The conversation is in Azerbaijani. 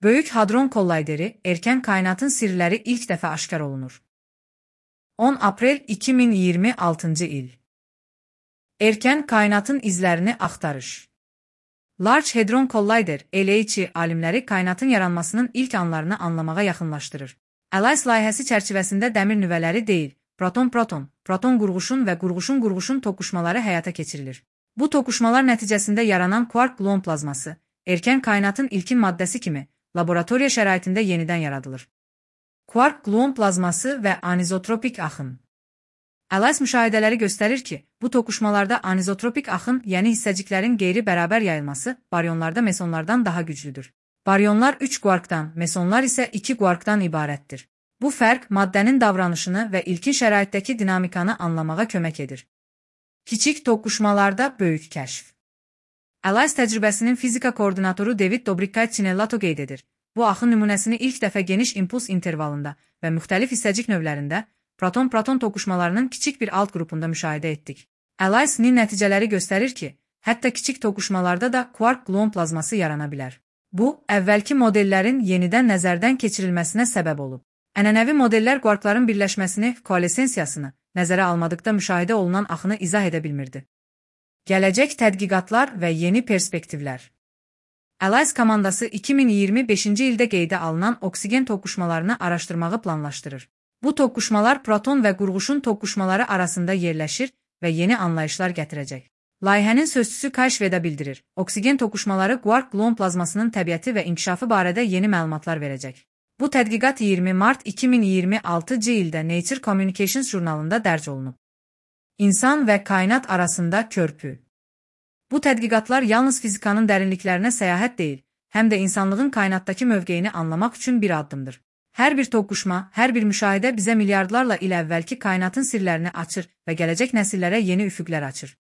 Böyük Hadron Kollayderi, erkən kainatın sirləri ilk dəfə aşkar olunur. 10 aprel 2026 il. Erkən kainatın izlərini axtarış. Large Hadron Collider, LHC alimləri kainatın yaranmasının ilk anlarını anlamağa yaxınlaşdırır. ALICE layihəsi çərçivəsində dəmir nüvələri deyil, proton-proton, proton-qurğuşun və qurğuşun-qurğuşun toqquşmaları həyata keçirilir. Bu toqquşmalar nəticəsində yaranan quark-gluon plazması, erkən kainatın ilkin maddəsi kimi, laboratoriya şəraitində yenidən yaradılır. Quark-gluon plazması və anizotropik axın. ALICE müşahidələri göstərir ki, bu toqquşmalarda anizotropik axın, yəni hissəciklərin qeyri-bərabər yayılması, baryonlarda mesonlardan daha güclüdür. Baryonlar 3 quarkdan, mesonlar isə 2 quarkdan ibarətdir. Bu fərq maddənin davranışını və ilkin şəraitdəki dinamikanı anlamağa kömək edir. Kiçik toqquşmalarda böyük kəşf. ALICE təcrübəsinin fizika koordinatoru David Dobrikait-Cinellato qeyd edir. Bu axın nümunəsini ilk dəfə geniş impuls intervalında və müxtəlif hissəcik növlərində proton-proton toqquşmalarının kiçik bir alt qrupunda müşahidə etdik. ALICE-nin nəticələri göstərir ki, hətta kiçik toqquşmalarda da quark-gluon plazması yarana bilər. Bu, əvvəlki modellərin yenidən nəzərdən keçirilməsinə səbəb olub. Ənənəvi modellər quarkların birləşməsini, koalesensiyasını nəzərə almadıqda müşahidə olunan axını izah edə bilmirdi. Gələcək tədqiqatlar və yeni perspektivlər. ALICE komandası 2025-ci ildə qeydə alınan oksigen toqquşmalarını araşdırmağı planlaşdırır. Bu toqquşmalar proton və qurğuşun toqquşmaları arasında yerləşir və yeni anlayışlar gətirəcək. Layihənin sözçüsü Kayşveda bildirir, oksigen toqquşmaları quark-gluon plazmasının təbiəti və inkişafı barədə yeni məlumatlar verəcək. Bu tədqiqat 20 mart 2026-cı ildə Nature Communications jurnalında dərc olunub. İnsan və kainat arasında körpü. Bu tədqiqatlar yalnız fizikanın dərinliklərinə səyahət deyil, həm də insanlığın kainatdakı mövqeyini anlamaq üçün bir addımdır. Hər bir toqquşma, hər bir müşahidə bizə milyardlarla il əvvəlki kainatın sirlərini açır və gələcək nəsillərə yeni üfüqlər açır.